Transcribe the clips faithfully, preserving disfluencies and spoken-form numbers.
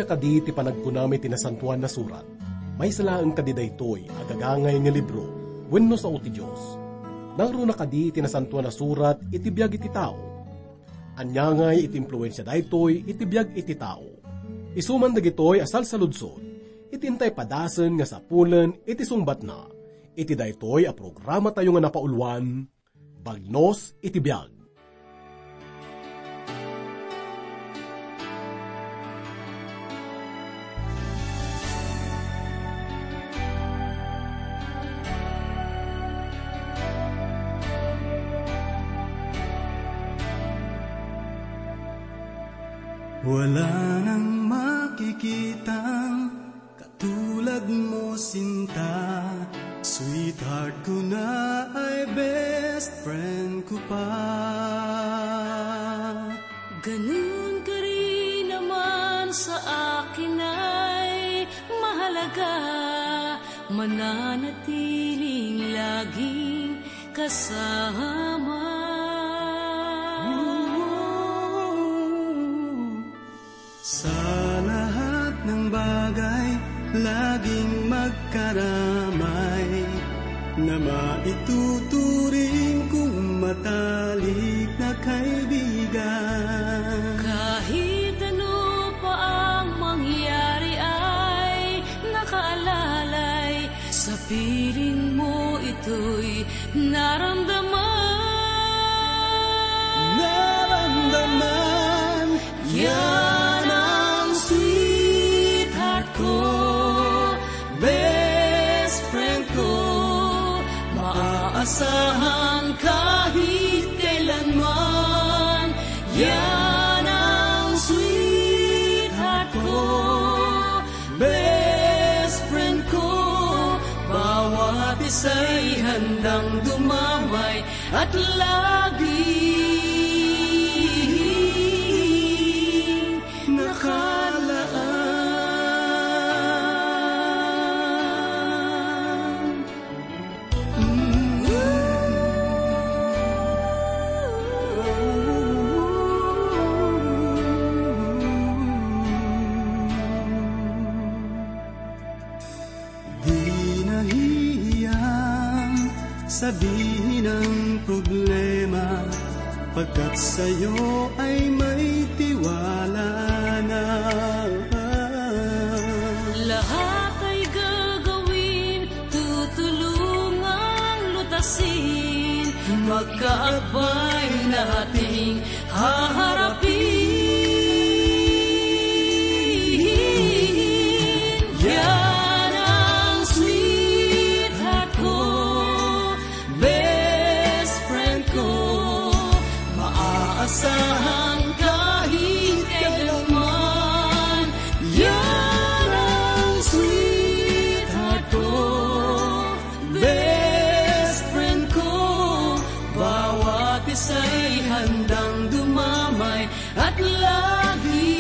Kadi ti panagkunam iti Nasantoan a Surat, maysa laeng kadi daytoy a gagangay nga libro wenno sao ti Dios? Nangruna kadi ti Nasantoan a Surat iti biag iti tao? Ania ngay iti impluensia daytoy iti biag iti tao? Isu man dagitoy a salsaludsod iti intay padasen nga sapulen iti sungbatna iti daytoy a programatayo nga napauluan, Bagnos iti Biag. Wala nang makikitang katulad mo, sinta. Sweetheart ko na ay best friend ko pa. Ganun ka rin naman sa akin ay mahalaga, mananatiling laging kasama. Sa lahat ng bagay, laging magkaramay, na maituturing kong matalik na kaibigan. Kahit ano pa ang mangyari ay nakaalalay, sa piling mo ito'y naramdaman. Naramdaman. Yan ang sweetheart ko, best friend ko, maaasahan kahit kailanman. Yan ang sweetheart ko, best friend ko, bawat isa'y handang dumamay at laging nakalaan. Di nahihiyang sabihin ang problema, pagkat sa'yo ay may tiwala na. Lahat ay gagawin, tutulungang lutasin, magkaakbay na ating haharapin. Yan ang sweetheart ko, best friend ko, maaasahan kahit kailanman. Yan ang sweetheart ko, best friend ko, bawat isa'y handang dumamay at laging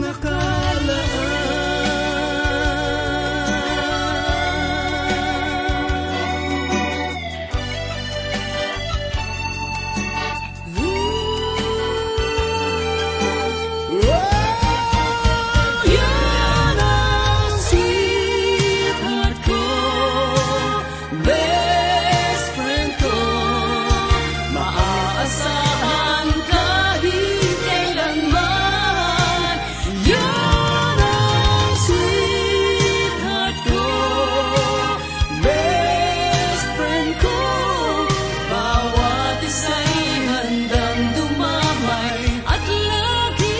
nakalaan. Yan ang sweetheart ko, best friend ko, maaasahan kahit kailanman. Yan ang sweetheart ko, best friend ko, bawat isa'y handang dumamay at laging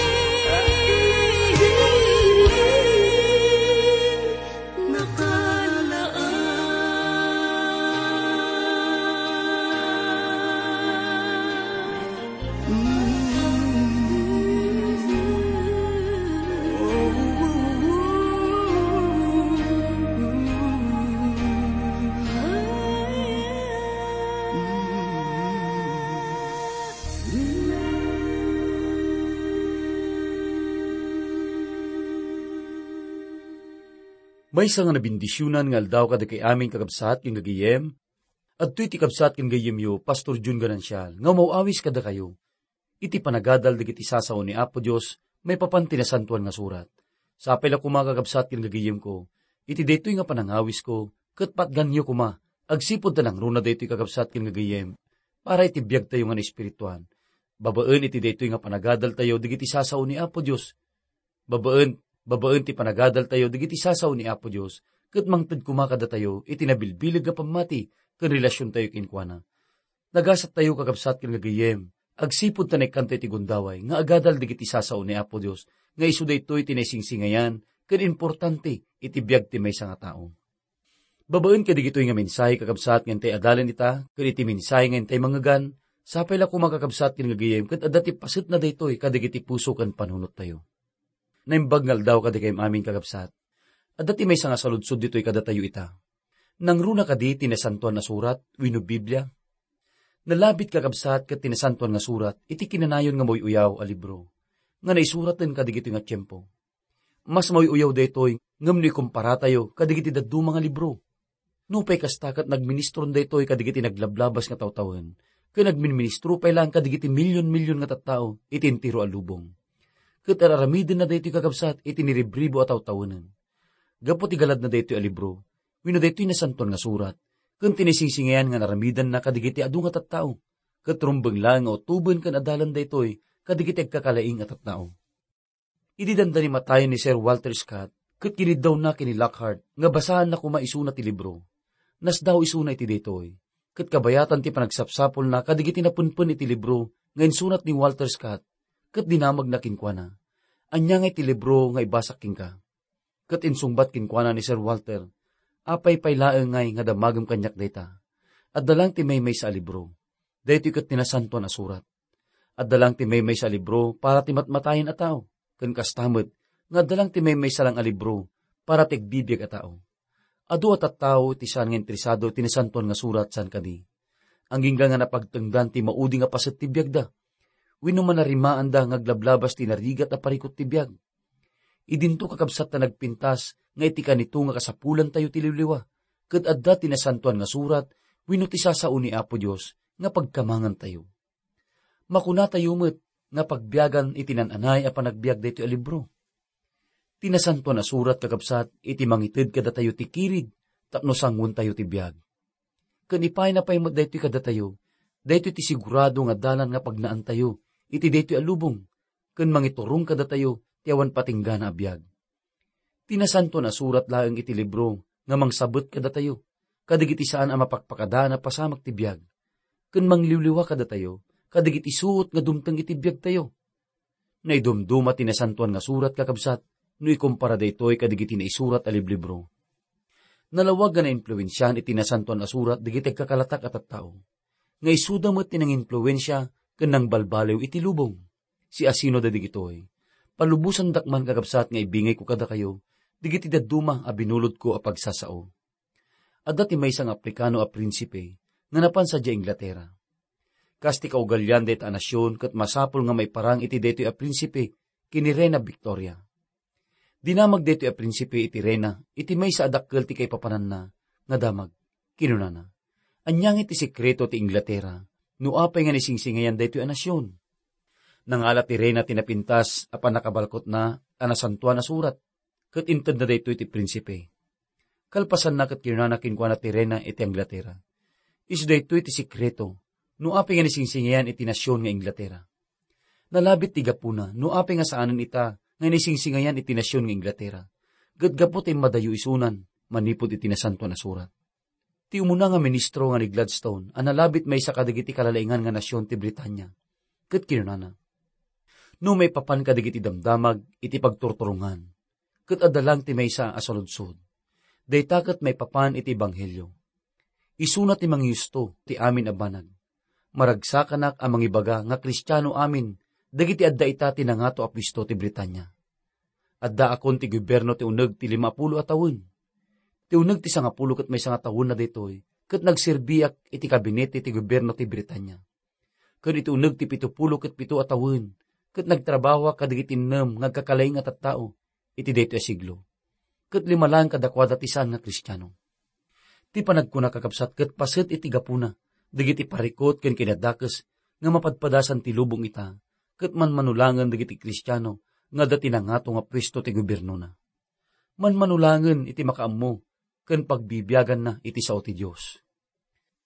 nakalaan. Maysa nga nabendisionan nga aldaw kadagiti amin, kakabsat ken gagayem. Adtoy ti kabsat ken gayyemyo, Pastor Jun Ganancial, nga umaw-awis kadakayo. iti panagadal dagiti sasao ni Apo Dios maipapan ti Nasantoan nga Surat. Sapay la koma, kakabsat ken gagayemko, iti daytoy nga panangawisko, ket patganyo koma, agsipud ta nangruna daytoy, kakabsat ken gagayem, para iti biagtayo nga naespirituan. Babaen iti daytoy nga panagadaltayo dagiti sasao ni Apo Dios, babaen, babaen ti panagadaltayo dagiti sasao ni Apo Dios, ket mangted koma kadatayo iti nabilbileg nga pammati ken relasiontayo kenkuana. Nagasattayo, kakabsat ken gagayem, agsipud ta naikkanto iti gundaway nga agadal dagiti sasao ni Apo Dios, nga isu daytoy ti naisingsingayan ken importante iti biag ti maysa nga tao. Babaen kadagitoy nga mensahe, kakabsat, nga intay adalen ita, ken iti mensahe nga intay mangngegan, sapay la koma, kakabsat ken gagayem, ket adda ti pasetna daytoy kadagiti puso ken panunottayo. Naimbag nga aldaw kadakayem amin, kakabsat. Adda ti maysa nga saludsod ditoy kadatayo ita. Nangruna kadi ti Nasantoan a Surat wenno Biblia? Nalabit, kakabsat, ket ti Nasantoan nga Surat iti kinanayon nga mauy-uyaw a libro nga naisuraten kadagitoy nga tiempo. Mas mauy-uyaw daytoy ngem no ikumparatayo kadagiti dadduma nga libro. Nupay kasta, ket nagministron daytoy kadagiti naglablabas nga tawtawen, ken nagminministro pay laeng kadagiti milyon-milyon nga tattao iti entero a lubong. Ket ar-aramidenna daytoy, kakabsat, iti niribribo a tawtawenen. Gapu ti galadna daytoy a libro, wenno daytoy Nasantoan nga Surat, ken ti naisingsingayan nga naramidanna kadagiti adu nga tattao, ket rumbeng laeng nga utoben ken adalan daytoy kadagiti agkakalaing a tattao. Idi dandani matayen ni Sir Walter Scott, ket kiniddawna ken ni Lockhart nga basaanna koma isuna ti libro, nasdaaw isuna iti daytoy, ket kabayatan ti panagsapsapulna kadagiti napenpen iti libro nga insurat ni Walter Scott, ket dinamagna kenkuana, "Ania ngay ti libro nga ibasak kenka?" Ket insungbat kenkuana ni Sir Walter, "Apay pay laeng ngay nga damagem kaniak dayta? Adda laeng ti maymaysa a libro. Daytoy ket ti Nasantoan a Surat. Adda laeng ti maymaysa a libro para ti matmatayen a tao, ken kasta met nga adda laeng ti maymaysa laeng a libro para ti agbibiag a tao. Adu a tattao ti saan nga interesado iti Nasantoan nga Surat, saan kadi? Agingga nga napagtengdan ti maudi nga paset ti biagda, wenno manarimaanda nga aglablabas ti narigat a parikut ti biag. Idinto, kakabsat, ta nagpintas nga iti kanito nga kasapulantayo ti liwliwa, ket adda ti Nasantoan nga Surat wenno ti sasao ni Apo Dios nga pagkamangantayo." Makunatayo met nga pagbiagan iti naan-anay a panagbiag daytoy a libro. Ti Nasantoan a Surat, kakabsat, iti mangited kadatayo ti kirid tapno sanguentayo ti biag. Ken ipayna pay met daytoy kadatayo, daytoy ti sigurado nga dalan nga pagnaantayo iti daytoy a lubong, ken mangiturong kadatayo ti awan patinggana a biag. Ti Nasantoan a Surat laeng iti libro nga mangsabet kadatayo kadagiti saan a mapakpakadaan a pasamak ti biag, ken mangliwliwa kadatayo kadagiti suot nga dumteng iti biagtayo. Naidumduma ti Nasantoan nga Surat, kakabsat, no ikumpara daytoy kadagiti naisurat a liblibro. Nalawag nga naimpluensiaan iti Nasantoan a Surat dagiti agkakalatak a tattao, nga isuda met ti nangimpluensia ken nangbalbaliw iti lubong. Siasino dagitoy? Palubosandak man, kakabsat, nga ibingayko kadakayo dagiti dadduma a binulodko a pagsasao. Adda ti maysa nga Afrikano a prinsipe nga napan sadiay Inglatera. Kas ti kaugalian dayta a nasion, ket masapul nga maiparang iti daytoy a prinsipe ken ni Reina Victoria. Dinamag daytoy a prinsipe iti reina iti maysa a dakkel ti kaipapananna nga damag. Kinunana, "Ania ngay ti sekreto ti Inglatera no apay nga naisingsingayan daytoy a nasion?" Nangala ti reina ti napintas a pannakabalkotna a Nasantoan a Surat, ket intedna daytoy ti prinsipe. Kalpasanna, ket kinunana kenkuana ti reina iti Inglatera, "Isu daytoy ti sekreto no apay nga naisingsingayan iti nasion nga Inglatera. Nalabit ti gapuna no apay nga saanen ita nga naisingsingayan iti nasion nga Inglatera, ket gapu ta immadayo isunan manipud iti Nasantoan a Surat." Ti umuna nga ministro nga ni Gladstone a nalabit maysa kadagiti kalalaingan nga nasion ti Britania, ket kinunana, "No maipapan kadagiti damdamag iti pagturturongan, ket adda laeng ti maysa a saludsod. Dayta ket maipapan iti ebanghelio. Isuna ti mangiusto ti amin a banag. Maragsakanak a mangibaga nga Kristiano amin dagiti adda ita ti nangato a puesto ti Britania. Addaakon ti gobierno ti uneg ti limapulo a tawen. Ti uneg ti sangapulo ket maysa nga tawenna daytoy, ket nagserbiak iti kabinete ti gobierno ti Britania. Ken iti uneg ti pitupulo ket pito a tawen, ket nagtrabahoak kadagiti innem nga agkakalaing a tattao iti daytoy a siglo. Ket lima laeng kadakuada ti saan nga Kristiano." Ti panagkuna, kakabsat, ket paset iti gapuna dagiti parikut ken kinadakes nga mapadpadasan ti lubong ita, ket manmanulangen dagiti Kristiano nga adda ti nangato nga puesto ti gobiernona. Manmanulangen iti makaammo ken pagbibiaganna iti sao ti Dios.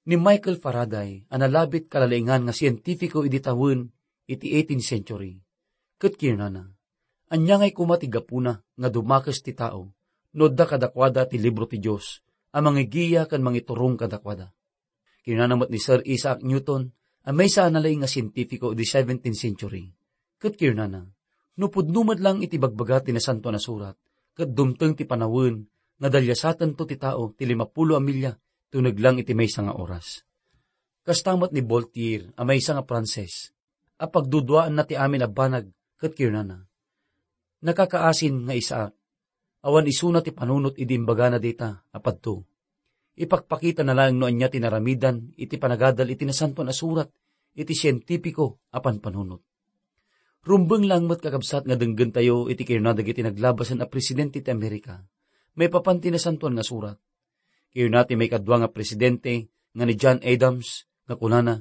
Ni Michael Faraday a nalabit kalalaingan nga sientipiko idi tawen iti eighteenth century, ket kinunana, "Ania ngay koma ti gapuna nga dumakes ti tao no adda kadakuada ti libro ti Dios a mangigiya ken mangiturong kadakuada?" Kinunana met ni Sir Isaac Newton a maysa a nalaing nga sientipiko idi seventeenth century, ket kinunana, "No pudno met lang iti bagbaga ti Nasantoan a Surat, ket dumteng ti panawen nga daliasatento ti tao ti limapulo a milya tuneg lang iti maysa nga oras." Kasta met ni Voltaire a maysa nga Frances a pagduduaanna ti amin a banag ket kinunana, "Nakakaasin nga Isaac, awan isuna ti panunot idi imbagana dayta a padto. Ipakpakitana laeng no ania ti naramidan iti panagadal iti Nasantoan a Surat iti sientipiko a panpanunot." Rumbeng lang met, kakabsat, nga denggentayo iti kinuna dagiti naglabasen a presidente ti Amerika maipapan ti Nasantoan nga Surat. Kinuna ti maikadua nga presidente nga ni John Adams nga kunana,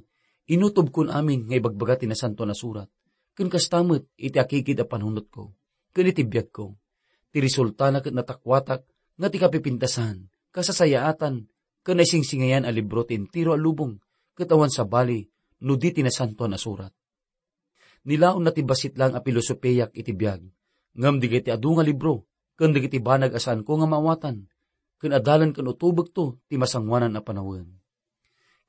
"Inutobkon amin nga ibagbaga ti Nasantoan a Surat, ken kasta met iti akikid a panunotko, ken iti biagko. Ti resultana ket natakuatak nga ti kapipintasan, kasasayaatan, ken naisingsingayan a libro ti entero a lubong, ket awan sabali no di ti Nasantoan a Surat." Nilaonna ti bassit lang a pilosopiak iti biag, ngem dagiti adu nga libro ken dagiti banag a saanko nga maawatan, ken adalen ken utobekto ti masangoanan a panawen.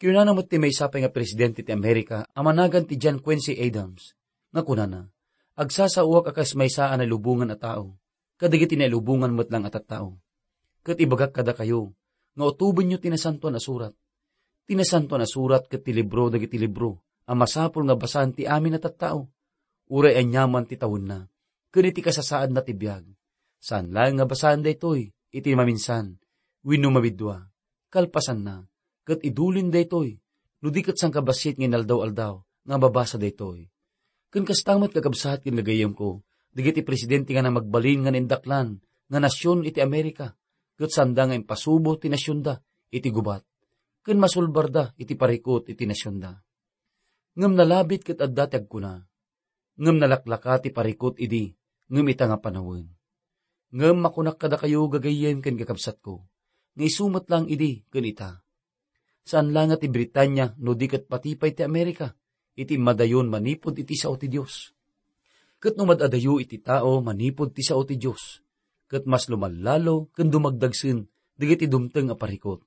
Kinunana met ti maysa pay nga presidente ti Amerika a managan ti John Quincy Adams nga kunana, "Agsasaoak a kas maysa a nailubongan a tao, kadagiti nailubongan met lang a tattao. Ket ibagak kadakayo nga utobenyo ti Nasantoan a Surat. Ti Nasantoan a Surat ket ti libro dagiti libro a masapul nga basaen ti amin a tattao, uray aniaman ti tawenna, ken iti kasasaadna ti biag. Saan laeng nga basaen daytoy iti maminsan wenno mabiddua. Kalpasanna, ket idulin daytoy, no di ket sangkabassit nga inaldaw-aldaw nga mabasa daytoy." Ken kasta met, kakabsat ken gagayyemko, dagiti presidente nga namagbalin nga naindaklan nga nasion iti Amerika, ket saanda nga impasubo ti nasionda iti gubat, ken masulbarda iti parikut iti nasionda. Ngem nalabit ket adda ti agkuna, ngem nalaklaka ti parikut idi, ngem ita nga panawen. Ngem makunak kadakayo, gagayyem ken kakabsatko, nga isu met lang idi ken ita. Saan la nga ti Britania no di ket pati pay ti Amerika iti immadayon manipud iti sao ti Dios. Ket no mad-adayo iti tao manipud ti sao ti Dios, ket mas lumallalo ken dumagdagsen dagiti dumteng a parikut.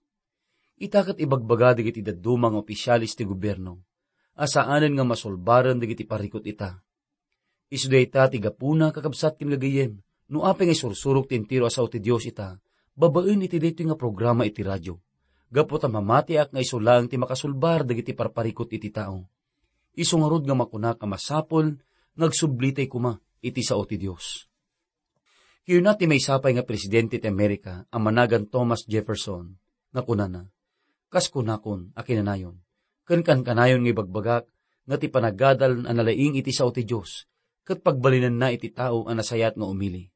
Ita ket ibagbaga dagiti dadduma nga opisiales ti gobierno a saanen nga masulbaren dagiti parikut ita. Isu dayta ti gapuna, kakabsat ken gagayyem, no apay nga isursurok ti entero a sao ti Dios ita babaen iti daytoy nga programa iti radio, gapu ta mamatiak nga isu laeng ti makasulbar dagiti parparikut iti tao. Isu ngarud nga makunak a masapul nga agsublitay koma iti sao ti Dios. Kinuna ti maysa pay nga presidente ti Amerika a managan Thomas Jefferson nga kunana, "Kas kunakon a kinanayon, ken kankanayon nga ibagbagak nga ti panagadal a nalaing iti sao ti Dios, ket pagbalinenna iti tao a nasayaat nga umili,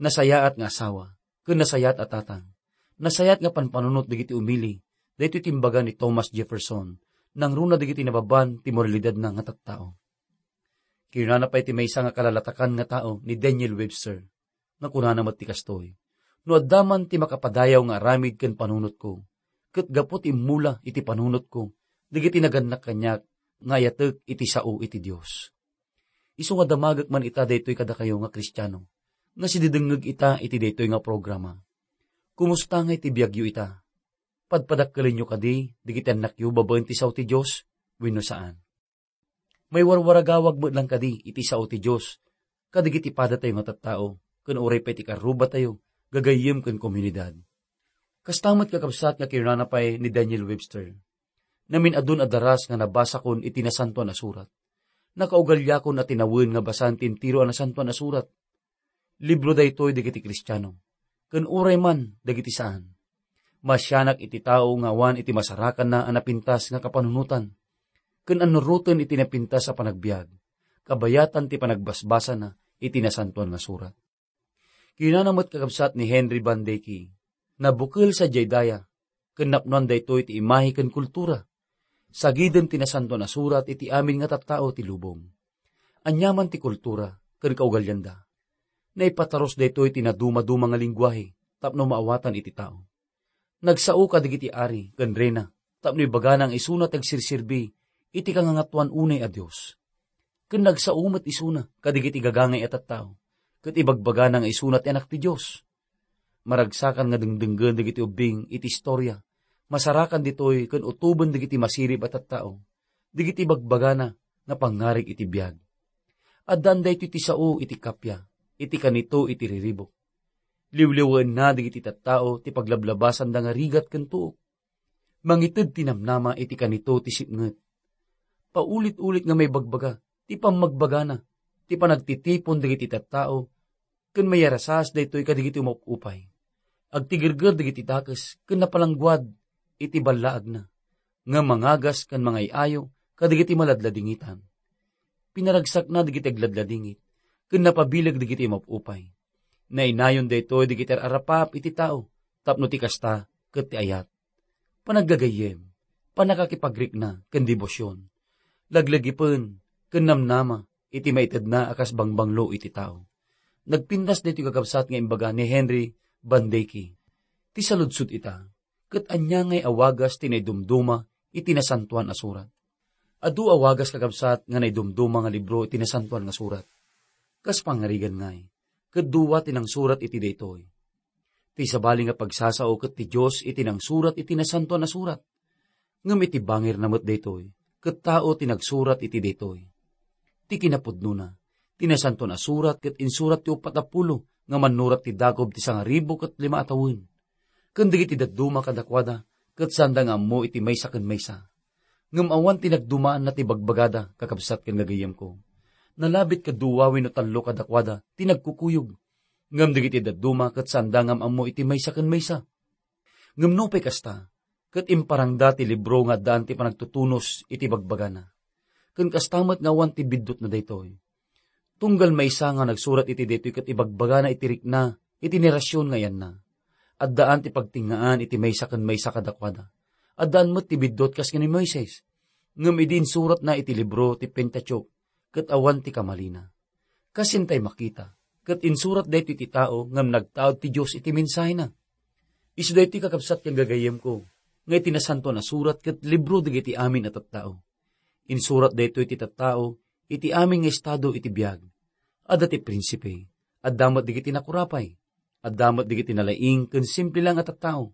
nasayaat nga asawa, ken nasayaat a tatang, nasayaat nga panpanunot dagiti umili." Daytoy ti imbaga ni Thomas Jefferson nangruna dagiti nababan ti moralidadna nga tattao. Kinunana pay ti maysa nga kalalatakan nga tao ni Daniel Webster, nga kunana met ti kastoy, "No adda man ti makapadayaw nga aramid ken panunotko, ket gapu ti immula iti panunotko dagiti nagannak kaniak nga ayatek iti sao iti Dios." Isu nga damagek man ita daytoy kadakayo nga Kristiano nga sididengngeg ita iti daytoy nga programa. Kumusta ngay ti biagyo ita? Padpadakkelenyo kadi dagiti annakyo babaen ti sao ti Dios wenno saan? Maiwarwaragawag met lang kadi iti sao ti Dios kadagiti padatayo nga tattao ken uray pay ti karrubatayo, gagayyem ken komunidad? Kasta met, kakabsat, nga kinunana pay ni Daniel Webster, "Namin-adun a daras nga nabasakon iti Nasantoan a Surat. Nakaugaliakon a tinawen nga basaen ti entero a Nasantoan a Surat. Libro daytoy dagiti Kristiano, ken uray man dagiti saan. Masianak iti tao nga awan iti masarakanna a napintas nga kapanunotan, ken annuroten iti napintas a panagbiag, kabayatan ti panagbasbasana iti Nasantoan nga Surat." Kinunana met, kakabsat, ni Henry Van Dyke, "Nabukel sadiay daya, ken napnoan daytoy ti imahe ken kultura. Sagiden ti Nasantoan a Surat iti amin nga tattao ti lubong. Aniaman ti kultura ken kaugalianda, naipatarus daytoy ti nadumaduma nga lengguahe tapno maawatan iti tao. Nagsao kadagiti ari ken reyna tapno ibagana nga isuna ti agsirserbi iti kangangatoan unay a dios. Ken nagsao met isuna kadagiti gagangay a tattao, ket ibagbagana nga isuna ti Anak ti Dios. Maragsakan nga dengdenggen dagiti ubbing iti istoria, masarakan ditoy ken utoben dagiti masirib a tattao, dagiti bagbagana nga pangngarig iti biag. Addaan daytoy ti sao iti kappia, iti kanito iti riribuk. Liwliwaenna dagiti tattao ti paglablabasanda nga rigat ken tuok. Mangited ti namnama iti kanito ti sipnget. Paulit-ulit nga maibagbaga ti pammagbagana, ti panagtitipon dagiti tattao, ken mayarasas daytoy kadagiti umap-upay. Agtigerger dagiti dakes ken napalangguad iti ballaagna, nga mangagas ken mangay-ayo kadagiti maladladingitan. Pinaragsakna dagiti agladladingit, ken napabileg dagiti umap-upay. Nainayon daytoy dagiti ar-arapaap iti tao, tapno ti kasta ket ti ayat, panagagayyem, pannakakipagrikna ken debosion, laglagipen ken namnama iti maitedna a kas bangbanglo iti tao. Nagpintas daytoy kakabsat nga imbaga ni Henry Van Dyke. Ti saludsod ita, ket ania ngay a wagas ti naidumduma iti Nasantoan a Surat? Adu a wagas kakabsat nga naidumduma nga libro iti Nasantoan nga Surat. Kas pangarigan ngay, ket dua ti nangsurat iti daytoy. Ti sabali nga pagsasao ket ti Dios iti nangsurat iti Nasantoan a Surat. Ngem iti bangirna met daytoy, ket tao ti nagsurat iti daytoy. Ti kinapudnona, ti Nasantoan a Surat ket insurat ti uppat a pulo nga mannurat ti dagob ti sangaribu ket lima a tawen. Ken dagiti dadduma kadakuada, ket saanda nga ammo iti maysa ken maysa. Ngem awan ti nagdumaanna ti bagbagada, kakabsat ken gagayyemko. Nalabit kadua wenno tallo kadakuada ti nagkukuyog. Ngem dagiti dadduma ket saanda nga am-ammo iti maysa ken maysa. Ngem nupay kasta, ket imparangda ti libro nga addaan ti panagtutunos iti bagbagana. Ken kasta met nga awan ti biddutna daytoy. Tunggal maysa nga nagsurat iti daytoy ket ibagbagana iti rikna iti nerasion nga ayanna. Addaan ti pagtengngaan iti maysa ken maysa kadakuada. Addaan met ti biddut kas ken ni Moises. Ngem idi insuratna iti libro ti Pentateuch, ket awan ti kamalina. Kas intay makita, ket insurat daytoy ti tao ngem nagtaud ti Dios iti mensahena. Isu daytoy, kakabsat ken gagayyemko, nga iti Nasantoan a Surat ket libro dagiti amin a tattao. Insurat daytoy ti tattao iti amin nga estado iti biag. Adda ti prinsipe, adda met dagiti nakurapay, adda met dagiti nalaing ken simple lang a tattao.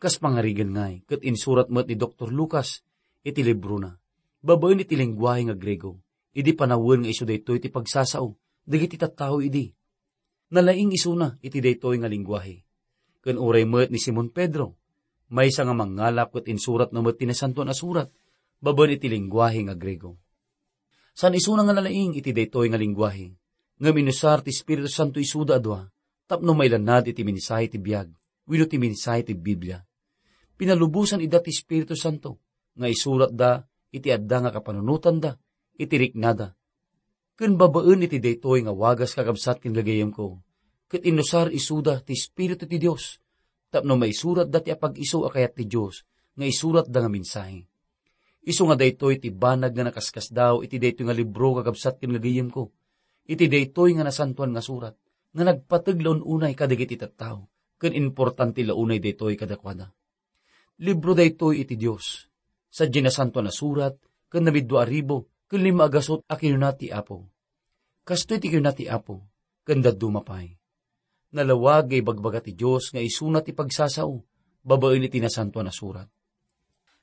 Kas pangarigan ngay, ket insurat met ni Doktor Lucas iti librona, babaen iti lengguahe nga Griego, idi panawen nga isu daytoy ti pagsasao dagiti tattao idi. Nalaing isuna iti daytoy nga lengguahe. Ken uray met ni Simon Pedro, maysa nga mangngalap ket insuratna met ti Nasantoan a Surat, babaen iti lengguahe nga Griego. Saan isuna nga nalaing iti daytoy nga lengguahe, ngem inusar ti Espiritu Santo isuda a dua tapno mailannad iti mensahe ti biag wenno ti mensahe ti Biblia. Pinalubosan ida ti Espiritu Santo nga isuratda iti adda nga kapanunotanda iti riknada. Ken babaen iti daytoy nga wagas, kakabsat ken gagayyemko, ket inusar isuda ti Espiritu ti Dios tapno maisuratda ti apag-isu a kayat ti Dios nga isuratda nga mensahe. Isu nga daytoy ti banag nga nakaskasdaaw iti daytoy nga libro, kakabsat ken gagayyemko, iti daytoy nga Nasantoan nga Surat nga nagpateg la un-unay kadagiti tattao, ken importante la unay daytoy kadakuada. Libro daytoy iti Dios, sadiay Nasantoan a Surat ken namiddua a ribu ken lima a gasut a kinuna ti Apo. Kastoy ti kinuna ti Apo, ken dadduma pay. Nalawag nga ibagbaga ti Dios nga isuna ti pagsasao babaen iti Nasantoan a Surat.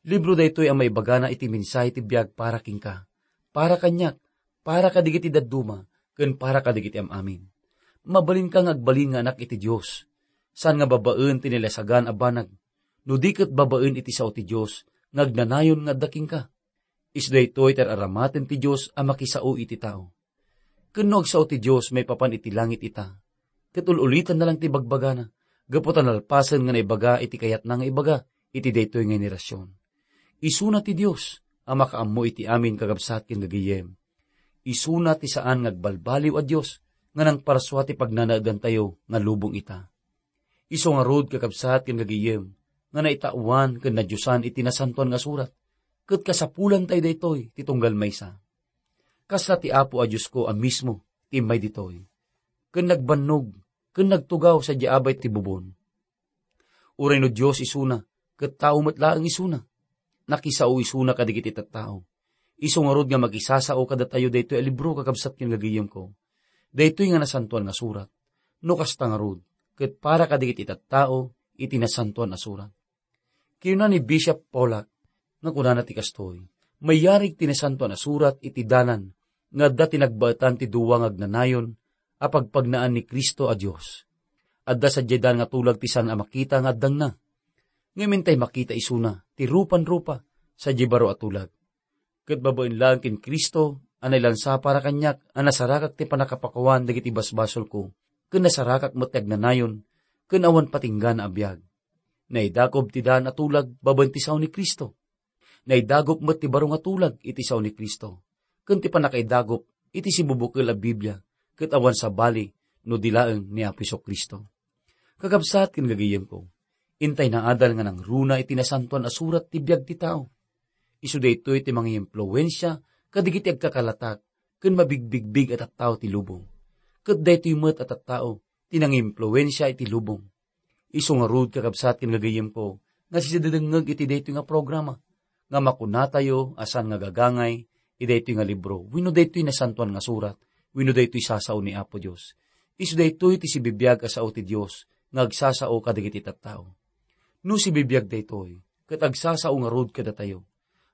Libro daytoy a maibagana iti mensahe ti biag para kenka, para kaniak, para kadagiti dadduma, ken para kadagiti am-amin. Mabalinka nga agbalin nga anak iti Dios, saan nga babaen ti nalasagan a banag, no di ket babaen iti sao ti Dios nga agnanayon nga adda kenka. Isu daytoy ti ar-aramaten ti Dios a makisao iti tao. Ken no agsao ti Dios maipapan iti langit ita, ket ul-ulitanna lang ti bagbagana, gapu ta nalpasen nga naibaga iti kayatna nga ibaga iti daytoy nga henerasion. Isuna ti Dios a makaammo iti amin, kakabsat ken gagayyem. Isuna ti saan nga agbalbaliw a Dios nga nangparsua ti pagnanaedantayo nga lubong ita. Isu ngarud, kakabsat ken gagayyem, nga naitaoan ken nadiosan iti Nasantoan nga Surat, ket kasapulantay daytoy ti tunggal maysa. Kasla ti Apo a Diosko a mismo ti immay ditoy, ken nagbannog, ken nagtugaw sadiay abay ti bubon. Uray no Dios isuna, ket tao met laeng isuna. Nakisao isuna kadagiti tattao. Isu ngarud nga makisasao kadatayo daytoy a libro, kakabsat ken gagayemko. Daytoy nga Nasantoan nga Surat. No kasta ngarud, ket para kadagiti tattao iti Nasantoan a Surat. Kinuna ni Bishop Pollack nga kunana ti kastoy, "Mayarig ti Nasantoan a Surat iti dalan nga adda ti nagbaetan ti dua nga agnanayon a pagpagnaan ni Cristo a Dios. Adda sadiay daan nga tulag ti saan a makita nga addangna. Ngem intay makita isuna ti rupan-rupa sadiay baro a tulag. Ket babaen laeng ken Cristo a nailansa para kaniak a nasarakak ti pannakapakuan dagiti basbasolko, ken nasarakak met ti agnanayon ken awan patinggana a biag. Naidagob ti daan a tulag babaen ti sao ni Cristo. Naidagob met ti baro nga tulag iti sao ni Cristo, ken ti pannakaidagob iti sibubukel a Biblia, ket awan sabali no di laeng ni Apo Jesu-Cristo." Kakabsat ken gagayemko, intay naadal nga nangruna iti Nasantoan a Surat ti biag ti tao. Isu daytoy ti mangiimpluwensia kadagiti agkakalatak ken mabigbigbig a tattao ti lubong. Ket daytoy met a tattao ti nangiimpluwensia iti lubong. Isu ngarud, kakabsat ken gagayemko, nga sidadengngeg iti daytoy nga programa, nga makunatayo a saan nga gagangay iti daytoy nga libro, wenno daytoy Nasantoan nga Surat, wenno daytoy sasao ni Apo Dios. Isu daytoy ti sibibiag a sao ti Dios nga agsasao kadagiti tattao. No sibibiag daytoy, ket agsasao ngarud kadatayo.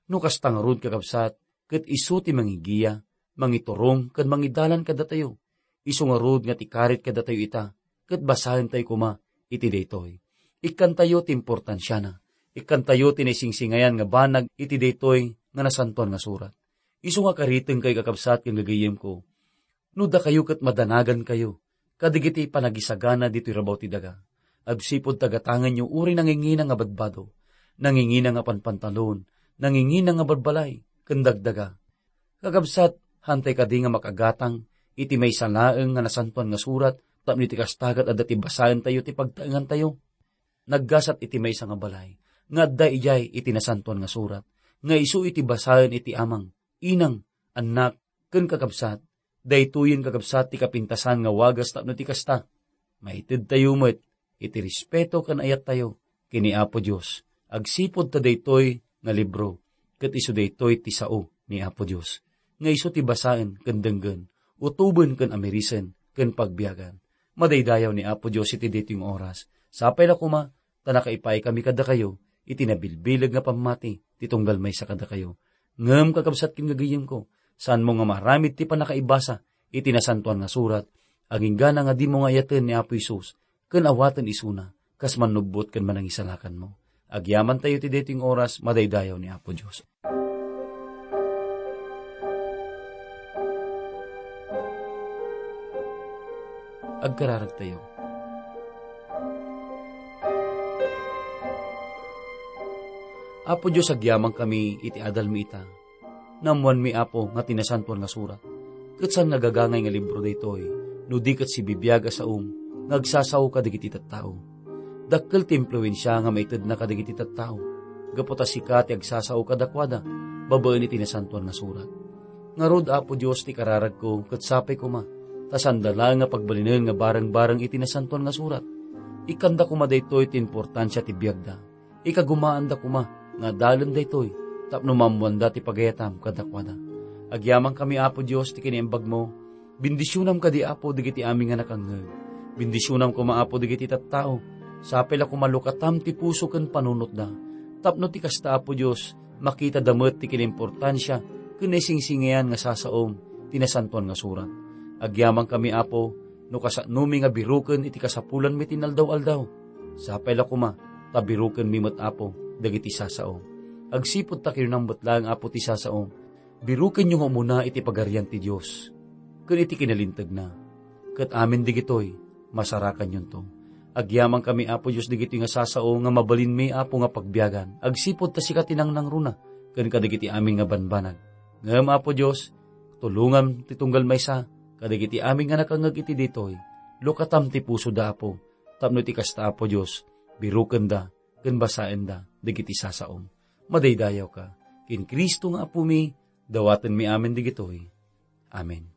No kasta ngarud, kakabsat, ket isu ti mangigiya, mangiturong, ken mangidalan kadatayo. Isu ngarud nga ti karit kadatayo ita, ket basaentayo koma iti daytoy. Ikkantayo ti importansiana. Ikkantayo ti naisingsingayan nga banag iti daytoy nga Nasantoan nga Surat. Isu nga karitengkayo, kakabsat ken gagayemko, no dakayo ket madanagankayo kadagiti panagisagana ditoy rabaw ti daga, agsipud ta gatangenyo uray nangingina nga badbado, nangingina nga panpantalon, nangingina nga balbalay, ken dagdaga. Kakabsat, haantay kadi nga makagatang iti maysa laeng nga Nasantoan nga Surat tapno iti kasta ket adda ti basaentayo ti pagtaengantayo? Naggasat iti maysa nga balay nga adda idiay iti Nasantoan nga Surat, nga isu iti basaen iti amang, inang, annak, ken kakabsat. Daytoyen, kakabsat, ti kapintasan nga wagas tapno ti kasta, maitedtayo met iti respeto ken ayattayo ken ni Apo Dios, agsipud ta daytoy nga libro ket isu daytoy ti sao ni Apo Dios, nga isu ti basaen ken denggen, utoben ken amirisen ken pagbiagan. Madaydayaw ni Apo Dios iti daytoy nga oras. Sapay la koma ta nakaipaykami kadakayo iti nabilbileg nga pammati ti tunggal maysa kadakayo. Ngem, kakabsat ken gagayemko, saanmo nga maaramid ti pannakaibasa iti Nasantoan nga Surat, agingga nga dimo nga ayaten ni Apo Jesus ken awaten isuna kas mannubbot ken manangisalakanmo. Agyamantayo iti daytoy nga oras, madaydayaw ni Apo Dios. Agkararagtayo. Apo Dios, agyamankami iti adalmi ita. Naammoanmi, Apo, nga ti Nasantoan nga Surat ket saan nga gagangay nga libro daytoy, no di ket sibibiag a saom nga agsasao kadagiti tattao. Dakkel ti impluensia nga maitedna kadagiti tattao, gapu ta sika ti agsasao kadakuada babaen iti Nasantoan nga Surat. Ngarud, Apo Dios, ti kararagko ket sapay koma ta saanda laeng nga pagbalinen nga bareng-bareng iti Nasantoan nga Surat. Ikkanda koma daytoy ti importansia ti biagda. Ikagumaanda koma nga adalen daytoy tapno maammoanda ti pagayatam kadakuada. Agyamankami, Apo Dios, ti kinaimbagmo. Bendisionam kadi, Apo, dagiti amin nga nakangngeg. Bendisionam koma, Apo, dagiti tattao. Sapay la koma lukatam ti puso ken panunotda, tapno ti kasta, Apo Dios, makitada met ti kinaimportansia ken naisingsingayan nga sasaom ti Nasantoan nga Surat. Agyamankami, Apo, no kasanomi nga biroken iti kasapulanmi ti inaldaw-aldaw. Sapay la koma ta birokenmi met, Apo, dagiti sasaom. Agsipud ta kinunam met laeng, Apo, ti sasaom, birokenyo nga umuna iti Pagarian ti Dios ken iti kinalintegna. Ket amin digitoy, masarakanyonto. Agyamankami, Apo Dios, digitoy nga sasao nga mabalinmi, Apo, nga pagbiagan, agsipud ta sika ti nangnangruna ken kadagiti amin nga banbanag. Ngem, Apo Dios, tulongam ti tunggal maysa kadagiti amin nga nakangngeg iti ditoy. Lukatam ti pusoda, Apo, tapno iti kasta, Apo Dios, birokenda ken basaenda dagiti sasaom. Madaydayawka. Ken Cristo nga Apomi, dawatenmi amin digitoy. Amen.